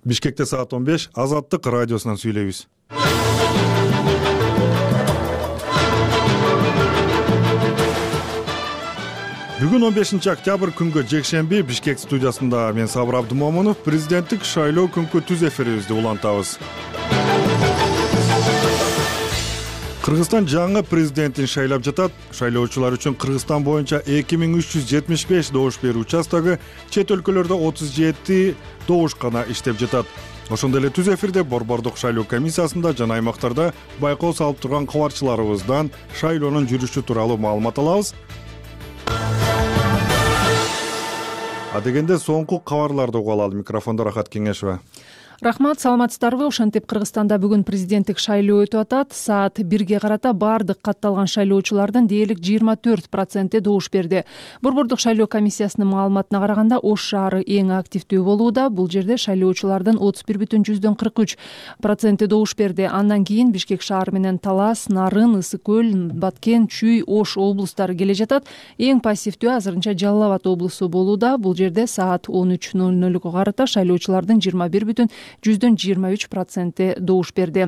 Бишкекте саат 15 Азаттык радиосунан сүйлөйбүз. Бүгүн 15 октябрь күнгө жекшемби Бишкек студиясында мен Сабыр Абдымомунов президенттик шайлоо күнкү түз эфирибизди улантабыз. Кыргызстан жаңы президентин шайлап жатат. Шайлоочулар үчүн Кыргызстан боюнча 2375 добуш берүү участогу, чет өлкөлөрдө 37 добуш гана иштеп жатат. Ошондой эле түз эфирде Борбордук шайлоо комиссиясында жана аймактарда байкоо салып турган кабарчыларыбыздан шайлоонун жүрүшү тууралуу маалымат алабыз. Адегенде соңку кабарларды угуп алалы. Микрофондо Рахат Кеңешева. Рахмат, саламатсыздарбы? Ошентип Кыргызстанда бүгүн президенттик шайлоо өтүп атат. Саат 1ге карата баардык катталган шайлоочулардын дээрлик 24% добуш берди. Борбордук шайлоо комиссиясынын маалыматына караганда Ош шаары эң активдүү болууда. Бул жерде шайлоочулардын 31,43% добуш берди. Андан кийин Бишкек шаары менен Талас, Нарын, Ысык көл, Баткен, Чүй, Ош облустары келе жатат. Эң пассивдүү азырынча Жалал Абад облусу болууда. Бул жерде саат 13:00га карата шайлоочулардын 21,23% добуш берди.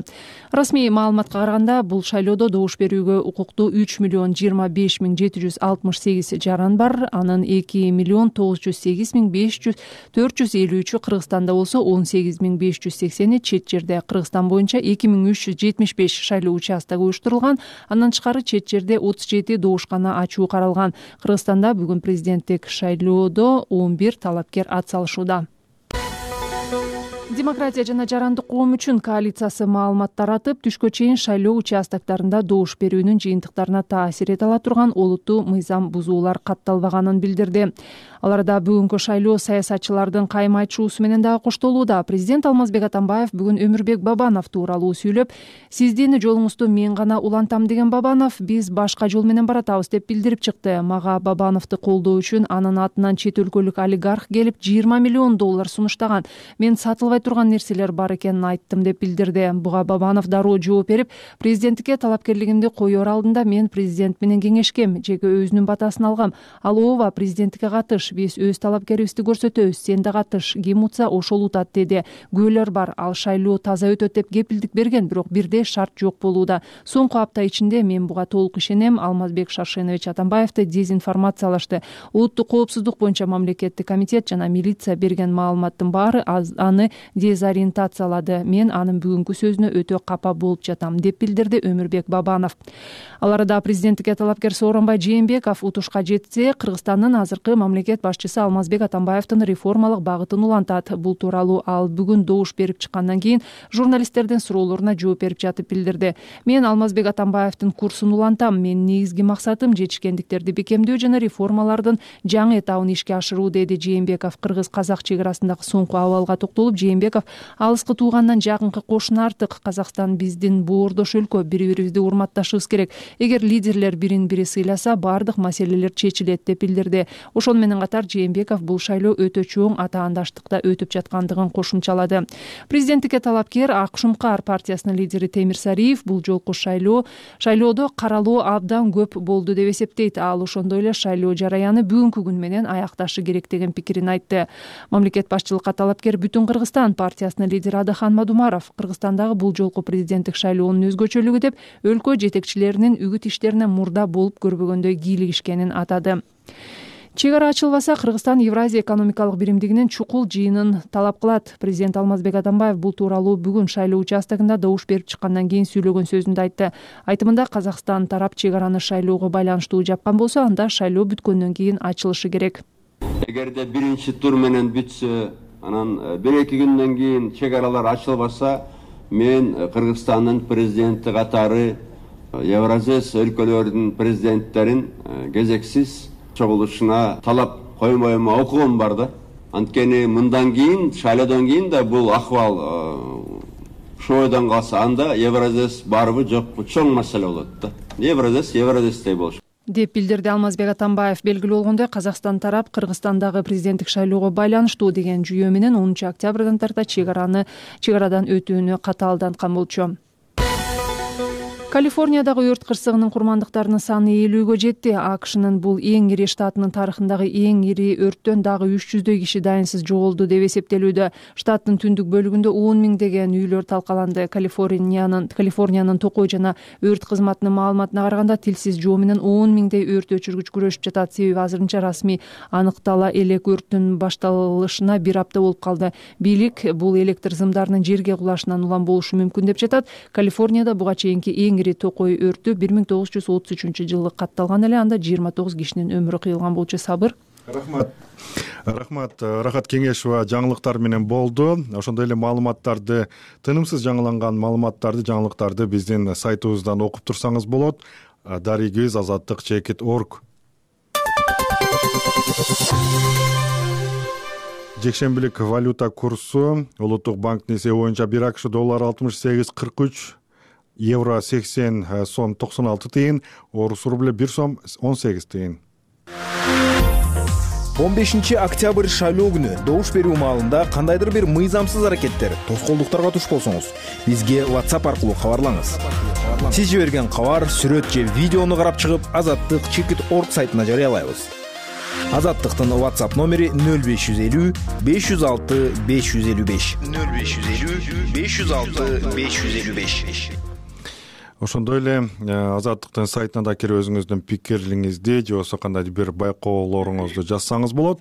Расмий маалыматка караганда бул шайлоодо добуш берүүгө укуктуу 3,025,768 жаран бар. Анын 2,908,453 Кыргызстанда болсо 18,580 чет жерде. Кыргызстан боюнча 2375 шайлоо участогу уюштурулган. Андан тышкары чет жерде 37 добуш гана ачуу каралган. Кыргызстанда бүгүн президенттик шайлоодо 11 талапкер ат салышууда. Демократия жана жарандык коом үчүн коалициясы маалымат таратып, түшкө чейин шайлоо участоктарында добуш берүүнүн жыйынтыктарына таасир эте ала турган олуттуу мыйзам бузуулар катталбаганын билдирди. Аларда бүгүнкү шайлоо саясатчылардын кайым айтышуусу менен дагы коштолууда. Президент Алмазбек Атамбаев бүгүн Өмүрбек Бабанов тууралуу сүйлөп, сиздин жолуңузду мен гана улантам деген Бабанов, биз башка жол менен баратабыз деп билдирип чыкты. Мага Бабановду колдоо үчүн анын атынан чет өлкөлүк олигарх келип $20 миллион сунуштаган. Мен сатылбай турган нерселер бар экенин айттым деп билдирди. Буга Бабанов дароо жооп берип, президенттикке талапкерлигимди коёр алдында мен президент менен кеңешкем, жеке өзүнүн батасын алгам. Ал ооба, президенттикке катыш, биз өз талапкерибизди көрсөтөбүз, сен да катыш, ким утса ошол утат деди. Күбөлөр бар, ал шайлоо таза өтөт деп кепилдик берген, бирок бирдей шарт жок болууда. Соңку апта ичинде мен буга толук ишенем. Алмазбек Шаршенович Атамбаевди дезинформациялашты. Улуттук коопсуздук боюнча мамлекеттик комитет жана милиция берген маалыматтын баары аны дезориентациялады. Мен анын бүгүнкү сөзүнө өтө капа болуп жатам деп билдирди Өмүрбек Бабанов. Ал арада президенттикке талапкер Сооронбай Жээнбеков утушка жетсе, Кыргызстандын азыркы мамлекет башчысы Алмазбек Атамбаевдин реформалык багытын улантат. Бул тууралуу ал бүгүн добуш берип чыккандан кийин журналисттердин суроолоруна жооп берип жатып билдирди. Мен Алмазбек Атамбаевдин курсун улантам. Менин негизги максатым жетишкендиктерди бекемдөө жана реформалардын жаңы этабын ишке ашыруу, деди Жээнбеков. Кыргыз-казак чек арасындагы соңку абалга токтолуп, Жээнбеков алыскы туугандан жакынкы кошуна артык. Казакстан биздин боордош өлкө, бири-бирибизди урматташыбыз керек. Эгер лидерлер бирин-бири сыйласа, баардык маселелер чечилет деп билдирди. Ошону менен катар Жээнбеков бул шайлоо өтө чоң атаандаштыкта өтүп жаткандыгын кошумчалады. Президенттикке талапкер Ак Шумкар партиясынын лидери Темир Сариев бул жолку шайлоодо каралуу абдан көп болду деп эсептейт. Ал ошондой эле шайлоо жараяны бүгүнкү күн менен аякташы керек деген пикирин айтты. Мамлекет башчылыкка талапкер Бүтүн Кыргызстан партиясынын лидери Адахан Мадумаров Кыргызстандагы бул жолку президенттик шайлоонун өзгөчөлүгү деп өлкө жетекчилеринин үгүт иштерине мурда болуп көрбөгөндөй кийлигишкенин атады. Чек ара ачылбаса, Кыргызстан Евразия экономикалык биримдигинин чукул жыйынын талап кылат. Президент Алмазбек Атамбаев бул тууралуу бүгүн шайлоо участогунда добуш берип чыккандан кийин сүйлөгөн сөзүндө айтты. Айтымында Казакстан тарап чек араны шайлоого байланыштуу жапкан болсо, анда шайлоо бүткөндөн кийин ачылышы керек. Эгерде биринчи тур менен бүтсө, анан 1-2 күндөн кийин чек аралар ачылбаса, мен Кыргызстандын президенти катары Евразес өлкөлөрүнүн президенттерин кезексиз чогулушуна талап коймоюма окугум бар да. Анткени мындан кийин, шайлоодон кийин да бул акыбал шойдон калса, анда Евразес барбы жокпу чоң маселе болот да. Евразестей болуш деп билдирди Алмазбек Атамбаев. Белгилүү болгондой, Казакстан тарап Кыргызстандагы президенттик шайлоого байланыштуу деген жүйө менен 10 октябрдан тарта чек арадан өтүүнү катаалданткан болчу. Калифорниядагы өрт кырсыгынын курмандыктарынын саны 50-гө жетти. АКШнын бул эң ири штатынын тарыхындагы эң ири өрттөн дагы 300дөй киши дайынсыз жоголду деп эсептелүүдө. Штаттын түндүк бөлүгүндө 10 миңдеген үйлөр талкаланды. Калифорниянын токой жана өрт кызматынын маалыматына караганда тилсиз жоо менен 10 миңдей өрт өчүргүч күрөшүп жатат. Себеби азырынча расмий аныктала элек өрттүн башталышына 1 апта болуп калды. Бийлик бул электр зымдарынын жерге кулашынан улам болушу мүмкүн деп жатат. Калифорнияда буга чейинки эң ири токой өртү 1933-жылы катталган эле. Анда 29 кишинин өмүрү кыйылган болчу. Сабыр. Рахмат Рахат Кеңешова жаңылыктар менен болду. Ошондой эле маалыматтарды, тынымсыз жаңыланган маалыматтарды, жаңылыктарды биздин сайтыбыздан окуп турсаңыз болот. Дарегиз azatlyk.org. Жекшембилик валюта курсу Улуттук банктын эсеби боюнча 1 АКШ доллары 68.43, евро 80 сом 96 тыйын, орус рубль 1 сом 18 тыйын. 15 октябрь шайлоо күнү добуш берүү маалында кандайдыр бир мыйзамсыз аракеттер, тоскоолдуктарга туш болсоңуз, бизге WhatsApp аркылуу кабарлаңыз. Сиз жиберген кабар, сүрөт же видеону карап чыгып, azatlyk.org сайтына жарыялайбыз. Азаттыктын WhatsApp номери 0550 506 555 0550 506 555. Ошондой эле Азаттыктын сайтына да кирип өзүңүздүн пикириңизди же болбосо кандайдыр бир байкоолоруңузду жазсаңыз болот.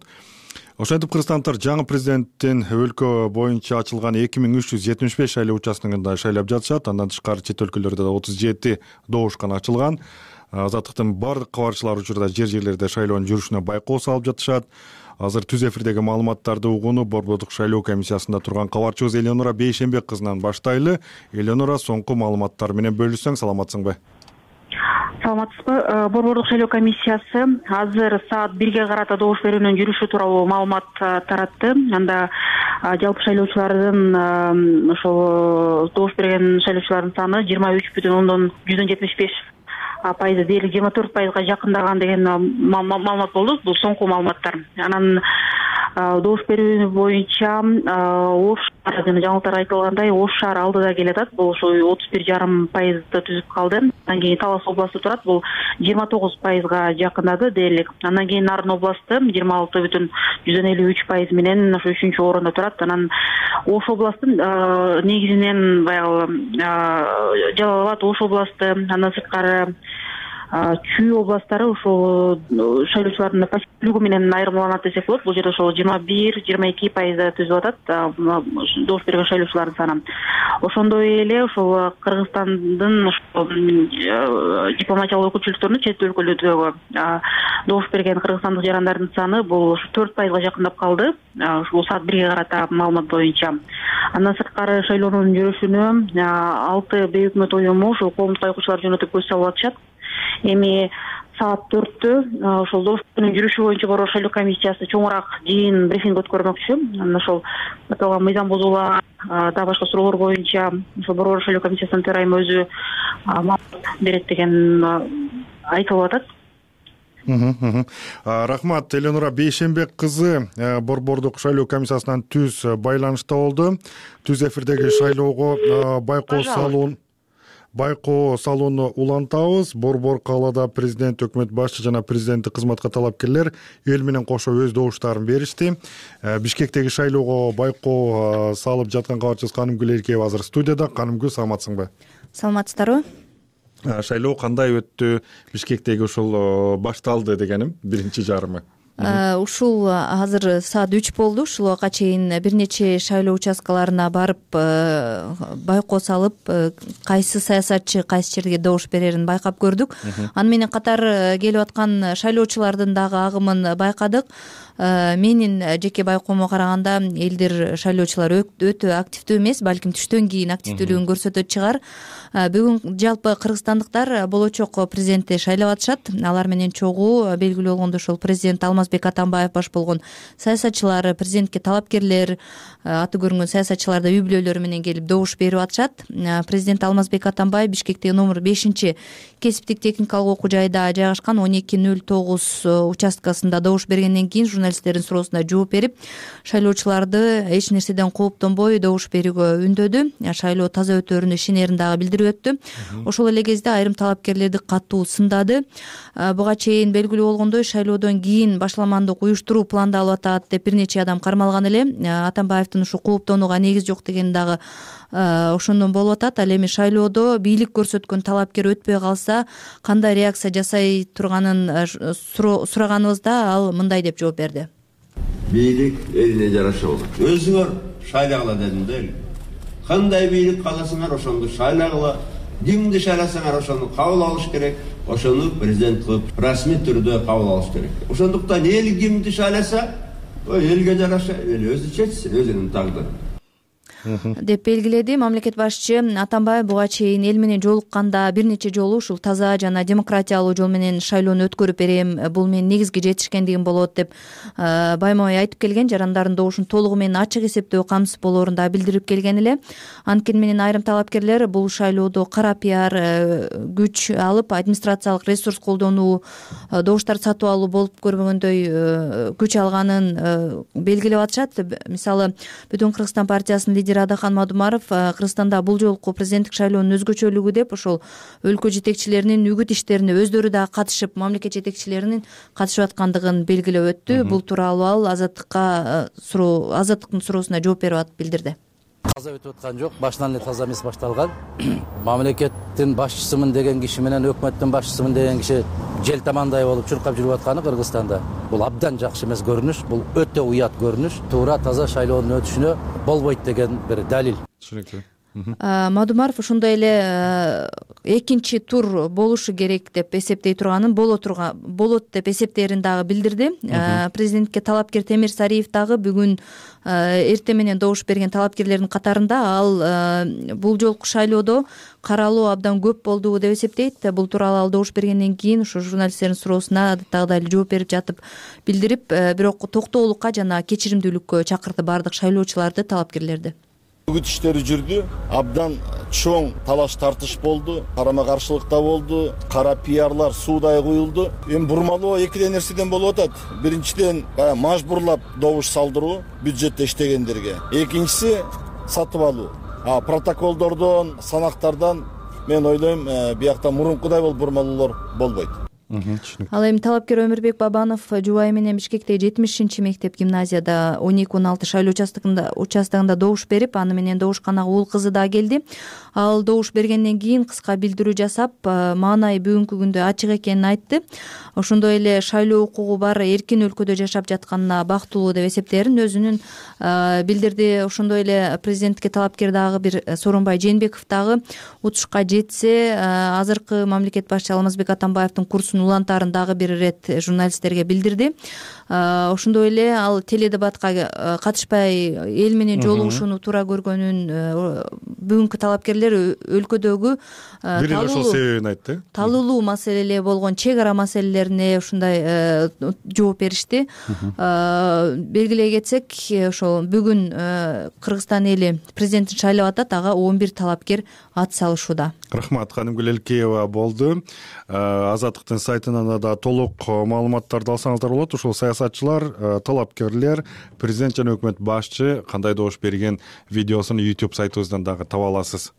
Ошентип кыргызстандыктар жаңы президенттин өлкө боюнча ачылган 2375 шайлоо участкасында шайлап жатышат. Андан тышкары чет өлкөлөрдө да 37 добушкана ачылган. Азаттыктын бардык кабарчылары учурда жерлерде шайлоонун жүрүшүнө байкоо салып жатышат. Азыр түз эфирдеги маалыматтарды угууну Борбордук шайлоо комиссиясында турган кабарчыбыз Элеонора Бейшенбек кызынан баштайлы. Элеонора, соңку маалыматтар менен бөлүшсөң, саламатсыңбы? Саламатсызбы? Борбордук шайлоо комиссиясы азыр саат 1-ге карата добуш берүүнүн жүрүшү тууралуу маалымат таратты. Анда жалпы шайлоочулардын ошол добуш берген шайлоочулардын саны 23,175% дээрлик 24%га жакындаган деген маалымат болду. Бул соңку маалыматтар. Анан добуш берүү боюнча Ош шаары жана жаңылыктарда айтылгандай Ош шаары алдыда келатат. Бул ошо 31,5% түзүп калды. Андан кийин Талас областы турат. Бул 29%га жакындады дээрлик. Андан кийин Нарын областы 26,53% менен ошо 3-орунда турат. Анан Ош областы негизинен баягы Жалал Абад, Ош областы, андан сырткары Чүй областтары ошол шайлоочулардын пассивдүүлүгү менен айырмаланат десек болот. Бул жерде ошол 21-22% түзүп атат добуш берген шайлоочулардын саны. Ошондой эле ошол Кыргызстандын дипломатиялык өкүлчүлүктөрүнүн чет өлкөлөрдөгү добуш берген кыргызстандык жарандардын саны бул 4%га жакындап калды. Ушул саат 1-ге карата маалымат боюнча. Андан сырткары шайлоонун жүрүшүнө 6 бейөкмөт уюму ошол коомдук байкоочулар жөнөтүп көз салып атышат. Эми саат 4-тө ошол добуш берүүнүн жүрүшү боюнча Борбор шайлоо комиссиясы чоңураак жыйын брифинг өткөрмөкчү. Анан ошол аталган мыйзам бузуулар да башка суроолор боюнча ошол Борбор шайлоо комиссиясынын төрайымы өзү маалымат берет деген айтылып атат. Рахмат, Элеонора Бейшенбек кызы Борбордук шайлоо комиссиясынан түз байланышта болду. Түз эфирдеги шайлоого байкоо салууну улантабыз. Борбор каалада президент, өкмөт башчы жана президенттик кызматка талапкерлер эл менен кошо өз добуштарын беришти. Бишкектеги шайлоого байкоо салып жаткан кабарчыбыз Канымгүл Эркеева азыр студияда. Канымгүл, саламатсыңбы? Саламатсыздарбы? Шайлоо кандай өттү? Бишкектеги ушул башталды дегеним, биринчи жарымы. Ушул азыр саат 3 болду. Ушул убакка чейин бир нече шайлоо участкаларына барып байкоо салып, кайсы саясатчы кайсы жерге добуш берерин байкап көрдүк. Аны менен катар келип аткан шайлоочулардын дагы агымын байкадык. Менин жеке байкоомо караганда элдер шайлоочулар өтө активдүү эмес, балким түштөн кийин активдүүлүгүн көрсөтөт чыгар. Бүгүн жалпы кыргызстандыктар болочок президентти шайлап атышат. Алар менен чогуу белгилүү болгондой ошол президент Алмазбек Атамбаев баш болгон саясатчылар, президентке талапкерлер, аты көрүнгөн саясатчылар да үй бүлөлөрү менен келип добуш берип атышат. Президент Алмазбек Атамбаев Бишкектеги номер 5 кесиптик техникалык окуу жайда жайгашкан 1209 участкасында добуш бергенден кийин журналисттердин суроосуна жооп берип, шайлоочуларды эч нерседен кооптонбой добуш берүүгө үндөдү. Шайлоо таза өтөөрүнө ишенерин дагы билдирип өттү. Ошол эле кезде айрым талапкерлерди катуу сындады. Буга чейин белгилүү болгондой, шайлоодон кийин башламандык уюштуруу пландалып атат деп бир нече адам кармалган эле. Атамбаевдин ушу кооптонууга негиз жок деген дагы ошондон болуп атат. Ал эми шайлоодо бийлик көрсөткөн талапкер өтпөй калса кандай реакция жасай турганын сураганыбызда ал мындай деп жооп берди. Бийлик элине жараша болот. Өзүңөр шайлагыла дедим да. Кандай бийлик кааласаңар ошону шайлагыла. Кимди шайласаңар ошону кабыл алыш керек. Ошону президент кылып расмий түрдө кабыл алыш керек. Ошондуктан эл кимди шайласа, элге жараша өзү чечсин, өзүнүн тагдыры деп белгиледи. Мамлекет башчы Атамбаев буга чейин эл менен жолукканда бир нече жолу ушул таза жана демократиялуу жол менен шайлоону өткөрүп берем, бул менин негизги жетишкендигим болот деп байма-бай айтып келген. Жарандардын добушун толугу менен ачык эсептөө камсыз болоорун да билдирип келген эле. Анткени менен айрым талапкерлер бул шайлоодо кара пиар, күч алып администрациялык ресурс колдонуу, добуштарды сатып алуу болуп көрбөгөндөй күч алганын белгилеп атышат. Мисалы, Бүтүн Кыргызстан партиясынын лидери Адахан Мадумаров Кыргызстанда бул жолку президенттик шайлоонун өзгөчөлүгү деп ошол өлкө жетекчилеринин үгүт иштерине өздөрү дагы катышып, мамлекет жетекчилеринин катышып аткандыгын белгилеп өттү. Бул тууралуу ал Азаттыктын суроосуна жооп берип атып билдирди. Таза өтүп аткан жок, башынан эле таза эмес башталган. Мамлекеттин башчысымын деген киши менен өкмөттүн башчысымын деген киши желтамандай болуп чуркап жүрүп атканы Кыргызстанда бул абдан жакшы эмес көрүнүш, бул өтө уят көрүнүш. Туура таза шайлоонун өтүшүнө болбойт деген бир далил. Түшүнүктүү. Мадумаров ошондой эле экинчи тур болушу керек деп эсептей турганын, болот деп эсептерин дагы билдирди. Президентке талапкер Темир Сариев дагы бүгүн эртең менен добуш берген талапкерлердин катарында. Ал бул жолку шайлоодо каралуу абдан көп болду деп эсептейт. Бул тууралуу ал добуш бергенден кийин ошо журналисттердин суроосуна адаттагыдай эле жооп берип жатып билдирип, бирок токтоолукка жана кечиримдүүлүккө чакырды бардык шайлоочуларды, талапкерлерди. Үгүт иштери жүрдү, абдан чоң талаш тартыш болду, карама каршылыкта болду, кара пиарлар суудай куюлду. Эми бурмалоо эки нерседен болуп атат. Биринчиден мажбурлап добуш салдыруу бюджетте иштегендерге. Экинчиси сатып алуу. Протоколдордон, санактардан мен ойлойм, биякта мурункудай бурмалоолор болбойт. Ал эми талапкер Өмүрбек Бабанов жубайы менен Бишкектеги 70 мектеп гимназияда 12-16 шайлоо участогунда добуш берип, аны менен добушканага уул кызы да келди. Ал добуш бергенден кийин кыска билдирүү жасап, маанайы бүгүнкү күндө ачык экенин айтты. Ошондой эле шайлоо укугу бар эркин өлкөдө жашап жатканына бактылуу деп эсептерин өзүнүн билдирди. Ошондой эле президентке талапкер дагы бир Сооронбай Жээнбеков дагы утушка жетсе, азыркы мамлекет башчы Алмазбек Атамбаевдин курсун улантаарын дагы бир ирет журналисттерге билдирди. Ошондой эле ал теледебатка катышпай эл менен жолугушууну туура көргөнүн, бүгүнкү талапкерлер өлкөдөгү талуулуу маселелер болгон чек ара маселелерине ушундай жооп беришти. Белгилей кетсек, ошол бүгүн Кыргызстан эли президентин шайлап атат, ага 11 талапкер ат салышууда. Рахмат, ханым Гүлелкеева болду. Азаттыктын сайтынан да толук маалыматтарды алсаңыздар болот. Ушул саясатчылар, талапкерлер, президент жана өкмөт башчы кандай добуш берген видеосун YouTube сайтыбыздан дагы таба аласыз.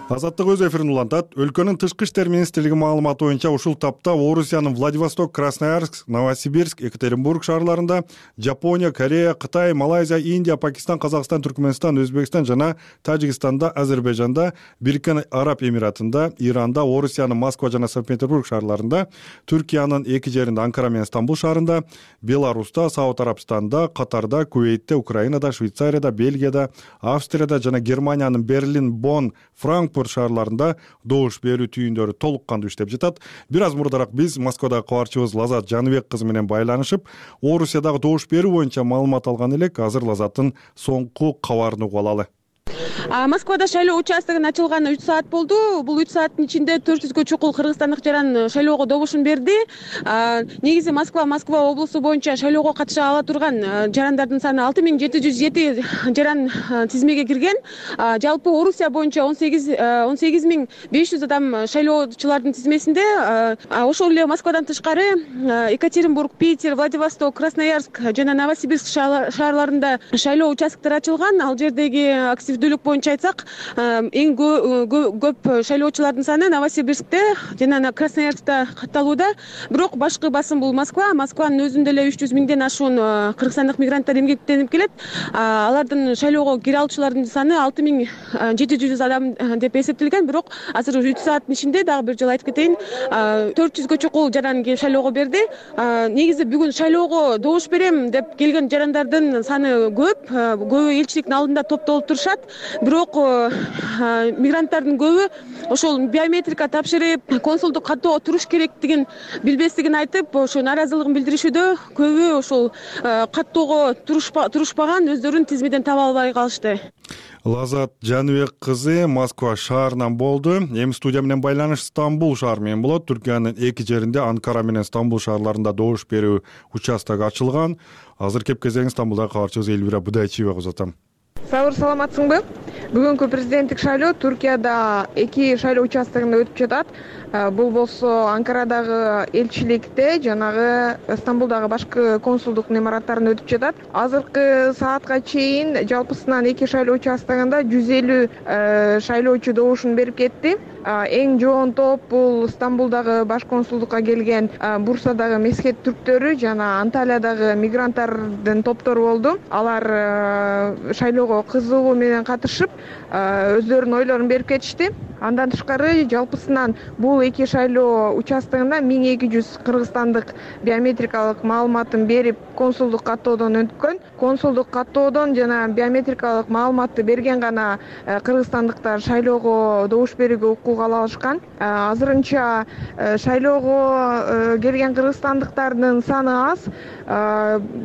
Азаттык өз эфирин улантат. Өлкөнүн тышкы иштер министрлиги маалыматы боюнча ушул тапта Орусиянын Владивосток, Красноярск, Новосибирск, Екатеринбург шаарларында Жапония, Корея, Кытай, Малайзия, Индия, Пакистан, Казакстан, Түркмөнстан, Өзбекстан жана Тажикстанда, Азербайжанда, Бириккен Араб Эмиратында, Иранда, Орусиянын Москва жана Санкт-Петербург шаарларында, Түркиянын эки жеринде Анкара менен Стамбул шаарында, Беларуста, Сауд Арабстанда, Катарда, Кувейтте, Украинада, Швейцарияда, Бельгияда, Австрияда жана Германиянын Берлин, Бонн, Франкфурт шаарларында добуш берүү түйүндөрү толук кандуу иштеп жатат. Бир аз мурдараак биз Москвадагы кабарчыбыз Лазат Жаныбек кызы менен байланышып, Орусиядагы добуш берүү боюнча маалымат алган элек. Азыр Лазаттын соңку кабарын угуп алалы. Москвада шайлоо участогунун ачылганы 3 саат болду. Бул 3 сааттын ичинде 400гө чукул кыргызстандык жаран шайлоого добушун берди. Негизи Москва облусу боюнча шайлоого катыша ала турган жарандардын саны 6707 жаран тизмеге кирген. Жалпы Орусия боюнча 18500 адам шайлоочулардын тизмесинде. Ошол эле Москвадан тышкары Екатеринбург, Питер, Владивосток, Красноярск жана Новосибирск шаарларында шайлоо участкалары ачылган. Ал жердеги активдүүлүк боюнча айтсак, эң көп шайлоочулардын саны Новосибирскте жана Красноярскта катталууда. Бирок башкы басым бул Москванын өзүндө эле 300 миңден ашуун кыргызстандык мигранттар эмгектенип келет. Алардын шайлоого кире алуучулардын саны 6700 адам деп эсептелген. Бирок азыр 3 сааттын ичинде дагы бир жолу айтып кетейин, 400гө чукул жаран келип шайлоого берди. Негизи бүгүн шайлоого добуш берем деп келген жарандардын саны көбү элчиликтин алдында топтолуп турушат. Бирок мигранттардын көбү ошол биометрика тапшырып, консулдук каттоого туруш керектигин билбестигин айтып, ошо нааразылыгын билдиришүүдө. Көбү ошол каттоого турушпаган, өздөрүн тизмеден таба албай калышты. Лазат Жаныбек кызы Москва шаарынан болду. Эми студия менен байланыш Стамбул шаары менен болот. Түркиянын эки жеринде, Анкара менен Стамбул шаарларында добуш берүү участогу ачылган. Азыр кеп кезең Стамбулдагы кабарчыбыз Элвира Будайчиевага узатам. Сабыр, саламатсыңбы? Бүгүнкү президенттик шайлоо Түркияда эки шайлоо участогунда өтүп жатат. Бул болсо Анкарадагы элчиликте, жанагы Стамбулдагы башкы консулдук имараттарында өтүп жатат. Азыркы саатка чейин жалпысынан эки шайлоо участогунда 150 шайлоочу добушун берип кетти. Эң жоон топ бул Стамбулдагы баш консулдукка келген Бурсадагы мескет түрктөрү жана Анталиядагы мигранттардын топтору болду. Алар шайлоого кызыгуу менен катышып, өздөрүнүн ойлорун берип кетишти. Андан тышкары жалпысынан бул эки шайлоо участогунда 1200 кыргызстандык биометрикалык маалыматын берип консулдук каттоодон өткөн. Консулдук каттоодон жана биометрикалык маалыматты берген гана кыргызстандыктар шайлоого добуш берүүгө укук ала алышкан. Азырынча шайлоого келген кыргызстандыктардын саны аз.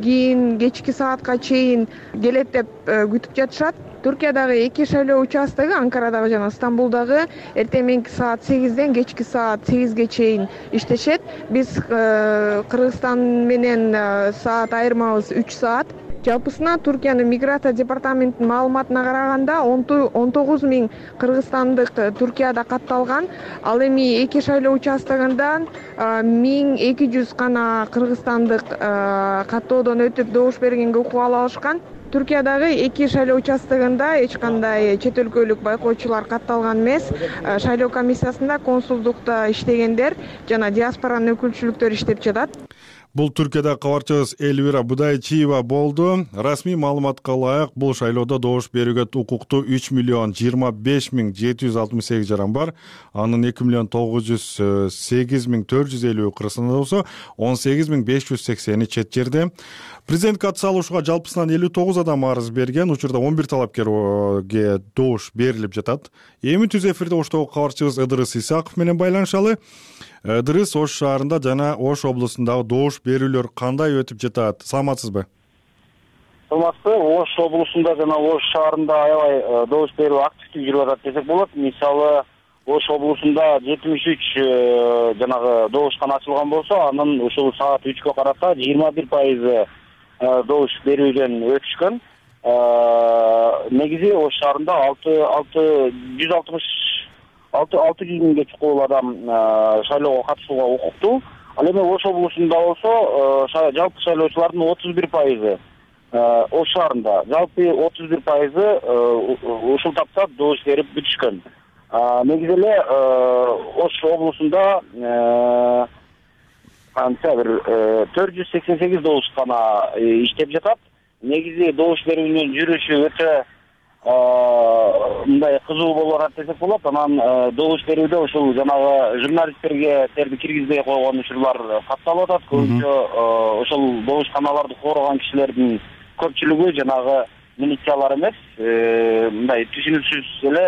Кийин кечки саатка чейин келет деп күтүп жатышат. Түркиядагы эки шайлоо участогу Анкарадагы жана Стамбулдагы эртең мененки саат 8ден кечки саат 8ге чейин иштешет. Биз Кыргызстан менен саат айырмабыз 3 саат. Жалпысынан Түркиянын миграция департаментинин маалыматына караганда 19 миң кыргызстандык Түркияда катталган. Ал эми эки шайлоо участогундан 1200 гана кыргызстандык каттоодон өтүп добуш бергенге укук ала алышкан. Түркиядагы эки шайлоо участогунда эч кандай чет өлкөлүк байкоочулар катталган эмес. Шайлоо комиссиясында консулдукта иштегендер жана диаспоранын өкүлчүлүктөрү иштеп жатат. Бул Түркияда кабарчыбыз Элвира Будайчиева болду. Расмий маалыматка ылайык, бул шайлоодо добуш берүүгө укуктуу 3,25,768 жаран бар. Анын 2,908,450 кыргызстанда болсо, 18,580 чет жерде. Президент катыша алушуга жалпысынан 59 адам арыз берген. Учурда 11 талапкерге добуш берилип жатат. Эми түз эфирде Оштогу кабарчыбыз Ыдырыс Исаков менен байланышалы. Ыдырыс, Ош шаарында жана Ош облусундагы добуш берүүлөр кандай өтүп жатат? Саламатсызбы? Саламатсызбы. Ош облусунда жана Ош шаарында аябай добуш берүү активдүү жүрүп атат десек болот. Мисалы, Ош облусунда 73 жанагы добушкана ачылган болсо, анын ушул саат 3кө карата 21% добуш берүүдөн өтүшкөн. Негизи Ош шаарында 600 миңге чукул адам шайлоого катышууга укуктуу. Ал эми Ош облусунда болсо жалпы шайлоочулардын 31% Ош шаарында, жалпы 31% ушул тапта добуш берип бүтүшкөн. Негизи эле Ош облусунда канча бир 488 добушкана иштеп жатат. Негизи добуш берүүнүн жүрүшү өтө мындай кызуу болуп атат десек болот. Анан добуш берүүдө ушул жанагы журналисттерге терди киргизбей койгон учурлар катталып атат. Көбүнчө ошол добушканаларды коргон кишилердин көпчүлүгү жанагы милициялар эмес, мындай түшүнүксүз эле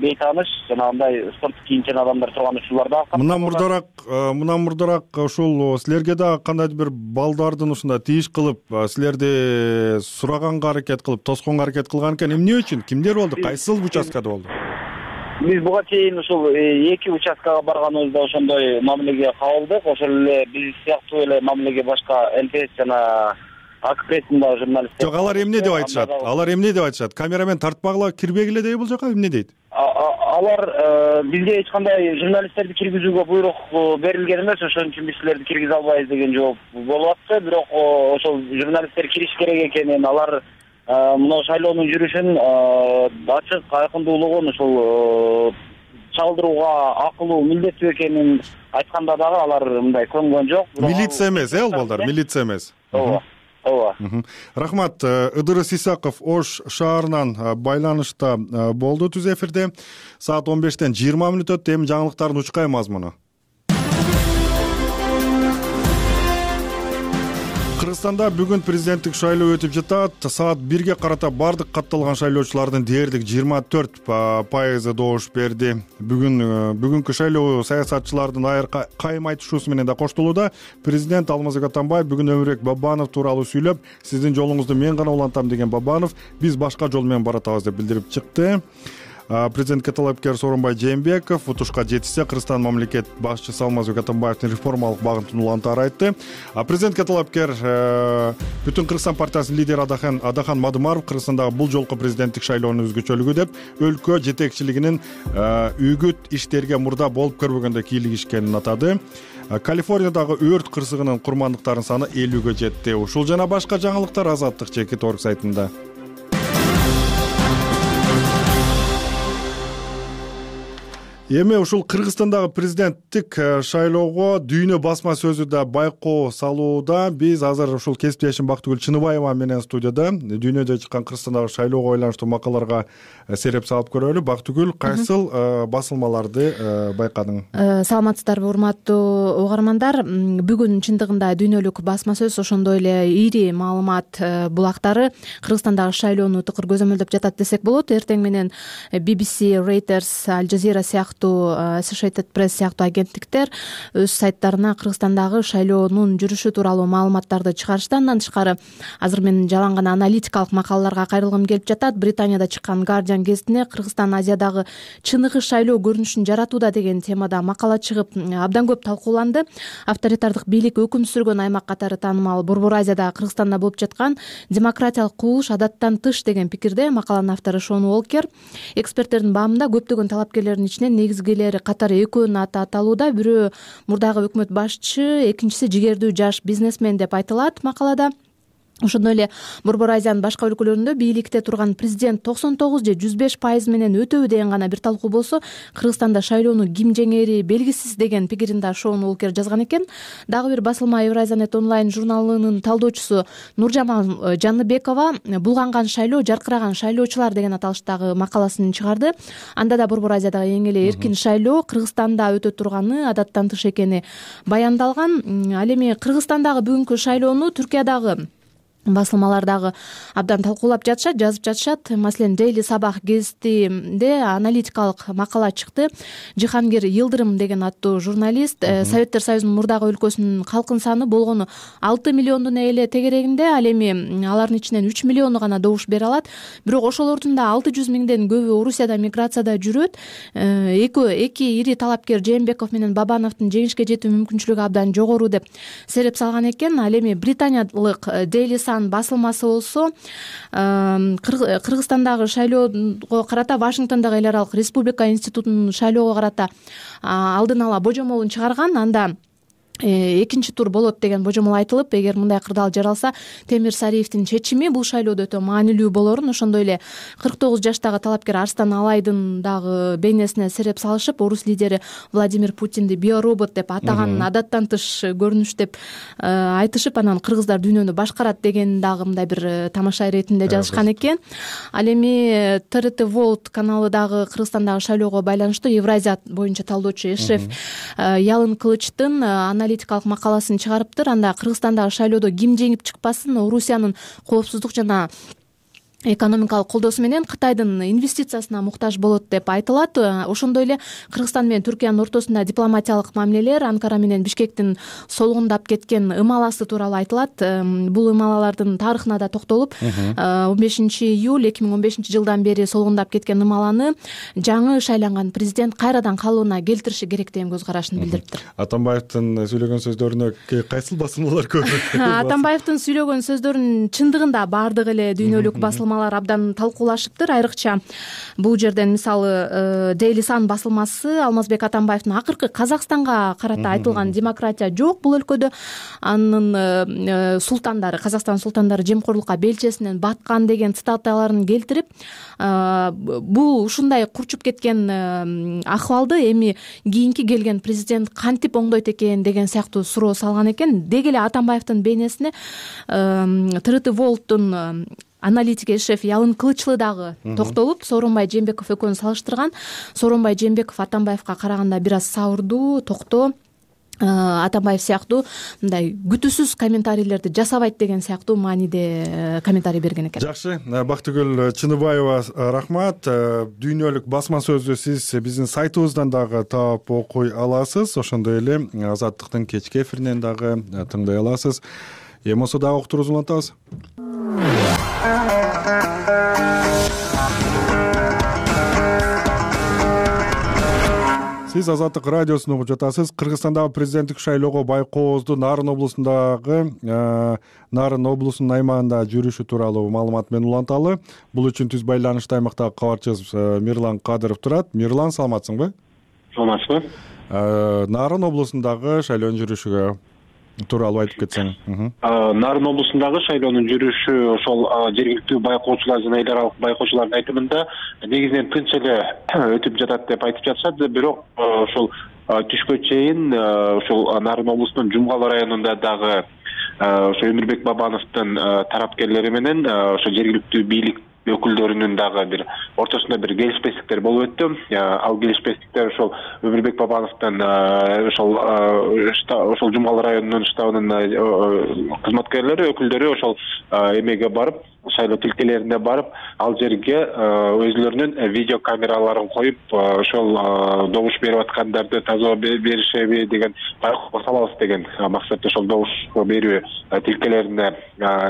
бейтааныш жанагындай спорттук кийимчен адамдар турган учурлар да. Мындан мурдараак ушул силерге да кандайдыр бир балдардын ушундай тийиш кылып, силерди сураганга аракет кылып, тосконго аракет кылган экен. Эмне үчүн? Кимдер болду? Кайсыл участкада болду? Биз буга чейин ушул 2 участкага барганыбызда ошондой мамилеге кабылдык. Ошол эле биз сыяктуу эле мамилеге башка ЛТС жана АК прессинда журналисттер. Жок, алар эмне деп айтышат? Камерамен тартпагыла, кирбегиле дейби бул жака, эмне дейт? Алар бизге эч кандай журналисттерди киргизүүгө буйрук берилген эмес, ошон үчүн биз силерди киргизе албайбыз деген жооп болуп атты. Бирок ошол журналисттер кириш керек экенин, алар мына шайлоонун жүрүшүн ачык, айкындуулугун ушул чалдырууга акылуу, милдеттүү экенин айтканда дагы алар мындай көнгөн жок. Милиция эмес, ол балдар, милиция эмес. Ооба. Рахмат. Ыдырыс Исаков Ош шаарынан байланышта болду түз эфирде. Саат 15-тен 20 мүнөт өттү. Эми жаңылыктардын учкай мазмуну. Кыргызстанда бүгүн президенттик шайлоо өтүп жатат. Саат 1-ге карата бардык катталган шайлоочулардын дээрлик 24% добуш берди. Бүгүнкү шайлоо саясатчылардын айыр кайым айтышуусу менен да коштолууда. Президент Алмазбек Атамбаев бүгүн Өмүрбек Бабанов тууралуу сүйлөп, сиздин жолуңузду мен гана улантам деген Бабанов биз башка жол менен баратабыз деп билдирип чыкты. Президентке талапкер Сооронбай Жээнбеков утушка жетишсе Кыргызстан мамлекет башчысы Алмазбек Атамбаевдин реформалык багытын улантаары айтты. Президентке талапкер Бүтүн Кыргызстан партиясынын лидери Адахан Мадымаров Кыргызстандагы бул жолку президенттик шайлоонун өзгөчөлүгү деп өлкө жетекчилигинин үгүт иштерге мурда болуп көрбөгөндө кийлигишкенин атады. Калифорниядагы өрт кырсыгынын курмандыктарынын саны 50-гө жетти. Ушул жана башка жаңылыктар Азаттык Чекит орг сайтында. Эми ушул Кыргызстандагы президенттик шайлоого дүйнө басма сөзү да байкоо салууда. Биз азыр ушул кесиптешим Бактыгүл Чыныбаева менен студияда дүйнөдө чыккан Кыргызстандагы шайлоого байланыштуу макалаларга сереп салып көрөлү. Бактыгүл, кайсыл басылмаларды байкадың? Саламатсыздарбы, урматтуу угармандар. Бүгүн чындыгында дүйнөлүк басма сөз, ошондой эле ири маалымат булактары Кыргызстандагы шайлоону тыкыр көзөмөлдөп жатат десек болот. Эртең менен BBC, Reuters, Al Jazeera сыяктуу Associated Press сыяктуу агенттиктер өз сайттарына Кыргызстандагы шайлоонун жүрүшү тууралуу маалыматтарды чыгарышты. Андан тышкары азыр мен жалаң гана аналитикалык макалаларга кайрылгым келип жатат. Британияда чыккан Guardian гезитине Кыргызстан Азиядагы чыныгы шайлоо көрүнүшүн жаратууда деген темада макала чыгып абдан көп талкууланды. Авторитардык бийлик өкүм сүргөн аймак катары таанымал Борбор Азияда Кыргызстанда болуп жаткан демократиялык кубулуш адаттан тыш деген пикирде. Макаланын автору Шон Уолкер эксперттердин баамында көптөгөн талапкерлердин ичинен негизгилери катары экөөнүн аты аталууда. Бирөө мурдагы өкмөт башчы, экинчиси жигердүү жаш бизнесмен деп айтылат макалада. Ошондой эле Борбор Азиянын башка өлкөлөрүндө бийликте турган президент 99 же 105% менен өтөбү деген гана бир талкуу болсо, Кыргызстанда шайлоону ким жеңери белгисиз деген пикирин да Шон Уолкер жазган экен. Дагы бир басылма Евразиянет онлайн журналынын талдоочусу Нуржамал Жаныбекова булганган шайлоо, жаркыраган шайлоочулар деген аталыштагы макаласын чыгарды. Анда да Борбор Азиядагы эң эле эркин шайлоо Кыргызстанда өтө турганы адаттан тыш экени баяндалган. Ал эми Кыргызстандагы бүгүнкү шайлоону Түркиядагы басылмалар дагы абдан талкуулап жатышат, жазып жатышат. Маселен, Daily Sabah гезитинде аналитикалык макала чыкты. Жихангир Йылдырым деген аттуу журналист Советтер Союзунун мурдагы өлкөсүнүн калкын саны болгону 6 миллиондун эле тегерегинде, ал эми алардын ичинен 3 миллиону гана добуш бере алат. Бирок ошолордун да 600 миңден көбү Орусияда миграцияда жүрөт. Эки ири талапкер Жээнбеков менен Бабановдун жеңишке жетүү мүмкүнчүлүгү абдан жогору деп сереп салган экен. Ал эми британиялык Daily басылмасы болсо Кыргызстандагы шайлоого карата Вашингтондогу эл аралык республика институтунун шайлоого карата алдын ала божомолун чыгарган. Анда экинчи тур болот деген божомол айтылып, эгер мындай кырдаал жаралса, Темир Сариевдин чечими бул шайлоодо өтө маанилүү болорун, ошондой эле 49 жаштагы талапкер Арстан Алайдын дагы бейнесине сереп салышып, орус лидери Владимир Путинди биоробот деп атаганын адаттан тыш көрүнүш деп айтышып, анан кыргыздар дүйнөнү башкарат деген дагы мындай бир тамаша иретинде жазышкан экен. Ал эми ТРТ World каналы дагы Кыргызстандагы шайлоого байланыштуу Евразия боюнча талдоочу Эшреф Ялын Кылычтын аналитикалык макаласын чыгарыптыр. Анда Кыргызстандагы шайлоодо ким жеңип чыкпасын, Орусиянын коопсуздук жана экономикалык колдоосу менен Кытайдын инвестициясына муктаж болот деп айтылат. Ошондой эле Кыргызстан менен Түркиянын ортосунда дипломатиялык мамилелер, Анкара менен Бишкектин солгундап кеткен ымаласы тууралуу айтылат. Бул ымалалардын тарыхына да токтолуп, 15-июль 2015-жылдан бери солгундап кеткен ымаланы жаңы шайланган президент кайрадан калыбына келтириши керек деген көз карашын билдириптир. Атамбаевдин сөйлөгөн сөздөрүнө кайсыл басылмалар көп? Атамбаевдин сөйлөгөн сөздөрүнүн чындыгында баардык эле дүйнөлүк басылмалар абдан талкуулашыптыр. Айрыкча бул жерден мисалы Daily Sun басылмасы Алмазбек Атамбаевдин акыркы Казакстанга карата айтылган демократия жок бул өлкөдө, анын султандары, Казакстан султандары жемкорлукка белчесинен баткан деген цитаталарын келтирип, бул ушундай курчуп кеткен акыбалды эми кийинки келген президент кантип оңдойт экен деген сыяктуу суроо салган экен. Деги эле Атамбаевдин бейнесине ТРТ Волттун аналитики шеф Ялын Кылычлы дагы токтолуп, Сооронбай Жээнбеков экөөнү салыштырган. Сооронбай Жээнбеков Атамбаевга караганда бир аз сабырдуу, токтоо, Атамбаев сыяктуу мындай күтүүсүз комментарийлерди жасабайт деген сыяктуу мааниде комментарий берген экен. Жакшы, Бактыгүл Чыныбаева, рахмат. Дүйнөлүк басма сөздү сиз биздин сайтыбыздан дагы таап окуй аласыз. Ошондой эле Азаттыктын кечки эфиринен дагы тыңдай аласыз. Эми болсо дагы уктуруубузду улантабыз. Сиз Азаттык радиосун угуп жатасыз. Кыргызстандагы президенттик шайлоого байкоозду Нарын облусунун аймагында жүрүшү тууралуу маалымат менен уланталы. Бул үчүн түз байланышта аймактагы кабарчыбыз Мирлан Кадыров турат. Мирлан, саламатсыңбы? Саламатсызбы. Нарын облусундагы шайлоонун жүрүшүгө тууралуу айтып кетсең. Нарын облусундагы шайлоонун жүрүшү ошол жергиликтүү байкоочулар жана эл аралык байкоочулардын айтымында негизинен тынч эле өтүп жатат деп айтып жатышат. Бирок ошол түшкө чейин ошол Нарын облусунун Жумгал районунда дагы ошо Өмүрбек Бабановдун тарапкерлери менен ошо жергиликтүү бийлик өкүлдөрүнүн дагы бир ортосунда бир келишпестиктер болуп өттү. Ал келишпестиктер ошол Өмүрбек Бабановдун ошол Жумгал районунун штабынын кызматкерлери, өкүлдөрү ошол эмеге барып, шайлоо тилкелерине барып, ал жерге өзүлөрүнүн видео камераларын коюп, ошол добуш берип аткандарды тазалоо беришеби деген байкоого салабыз деген максатта ошол добуш берүү тилкелерине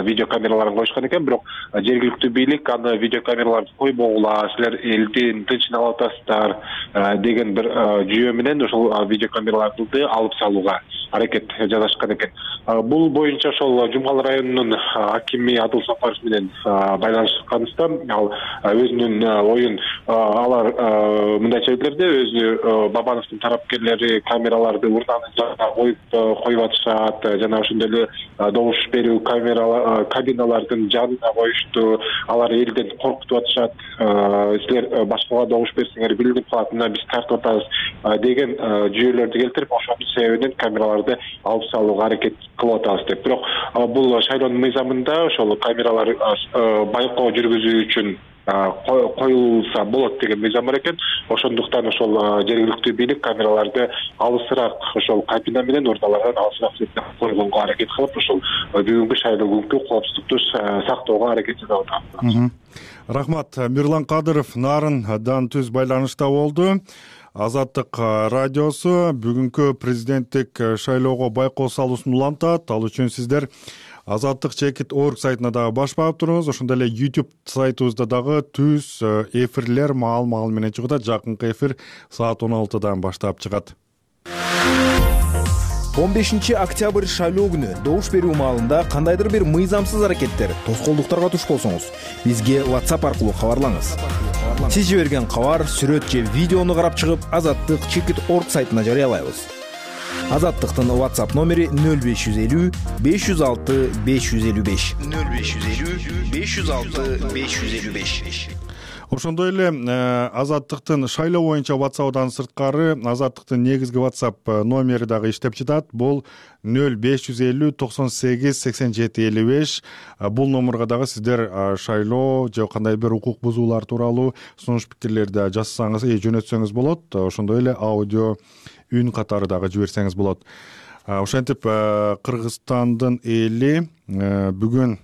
видео камераларын коюшкан экен. Бирок жергиликтүү бийлик аны видео камераларды койбогула, силер элдин тынчын алып атасыздар деген бир жүйө менен ошол видео камераларды алып салууга аракет жасашкан экен. Бул боюнча ошол Жумгал районунун акими Адыл Сапаров менен байланышканыбызда ал өзүнүн оюн алар мындайча билдирди. Өзү Бабановдун тарапкерлери камераларды урнанын коюп атышат жана ошондой эле добуш берүү кабиналардын жанына коюшту. Алар элден коркутуп атышат. Силер башкага добуш берсеңер билинип калат, мына биз тартып атабыз деген жүйөлөрдү келтирип, ошонун себебинен камераларды алып салууга аракет кылып атабыз деп. Бирок бул шайлоонун мыйзамында ошол камералар байкоо жүргүзүү үчүн коюлса болот деген мыйзам бар экен. Ошондуктан ошол жергиликтүү бийлик камераларды алысыраак ошол кабина менен урналардан алысыраак койгонго аракет кылып, ошол бүгүнкү шайлоо күнкү коопсуздукту сактоого аракет жасап атабыз. Рахмат. Мирлан Кадыров Нарындан түз байланышта болду. Азаттык радиосу бүгүнкү президенттик шайлоого байкоо салуусун улантат. Ал үчүн сиздер Азаттык.org сайтына дагы баш баап туруңуз. Ошондой эле YouTube сайтыбызда дагы түз эфирлер маал менен чыгат. Жакынкы эфир саат 16дан баштап чыгат. 15 октябрь шайлоо күнү добуш берүү маалында кандайдыр бир мыйзамсыз аракеттер, тоскоолдуктарга туш болсоңуз, бизге WhatsApp аркылуу кабарлаңыз. Сиз жиберген кабар, сүрөт же видеону карап чыгып, Азаттык.org сайтына жарыялайбыз. Азаттыктын WhatsApp номери 0550 506 555. 0550 506 555. Ошондой эле Азаттыктын шайлоо боюнча WhatsApp'дан сырткары Азаттыктын негизги WhatsApp номери дагы иштеп жатат. Бул 0550 98 87 55. Бул номерге дагы сиздер шайлоо же кандай бир укук бузуулар тууралуу сунуш пикирлерди жазсаңыз, жөнөтсөңүз болот. Ошондой эле аудио үн катары дагы жиберсеңиз болот. Ошентип Кыргызстандын эли бүгүн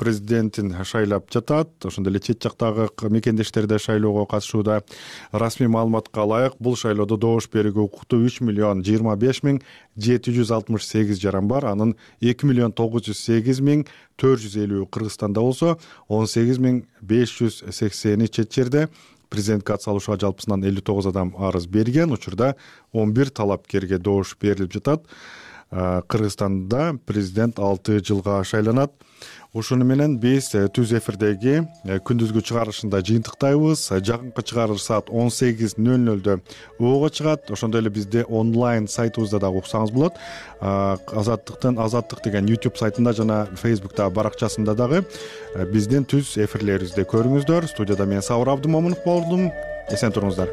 президентин шайлап жатат. Ошондой эле чет жактагы мекендештер да шайлоого катышууда. Расмий маалыматка ылайык бул шайлоодо добуш берүүгө укуктуу 3,25,768 жаран бар. Анын 2,908,450 Кыргызстанда болсо, 18,580 чет жерде. Президентке ат салушууга жалпысынан 59 адам арыз берген. Учурда 11 талапкерге добуш берилип жатат. Кыргызстанда президент 6 жылга шайланат. Ушуну менен биз түз эфирдеги күндүзгү чыгарылышында жыйынтыктайбыз. Жакынкы чыгарылыш саат 18:00 ого чыгат. Ошондой эле бизде онлайн сайтыбызда дагы уксаңыз болот. Азаттык деген YouTube сайтында жана Facebook'та баракчасында дагы биздин түз эфирлерибизди көрүңүздөр. Студияда мен Сабыр Абдымомунов болдум. Эсен туруңуздар.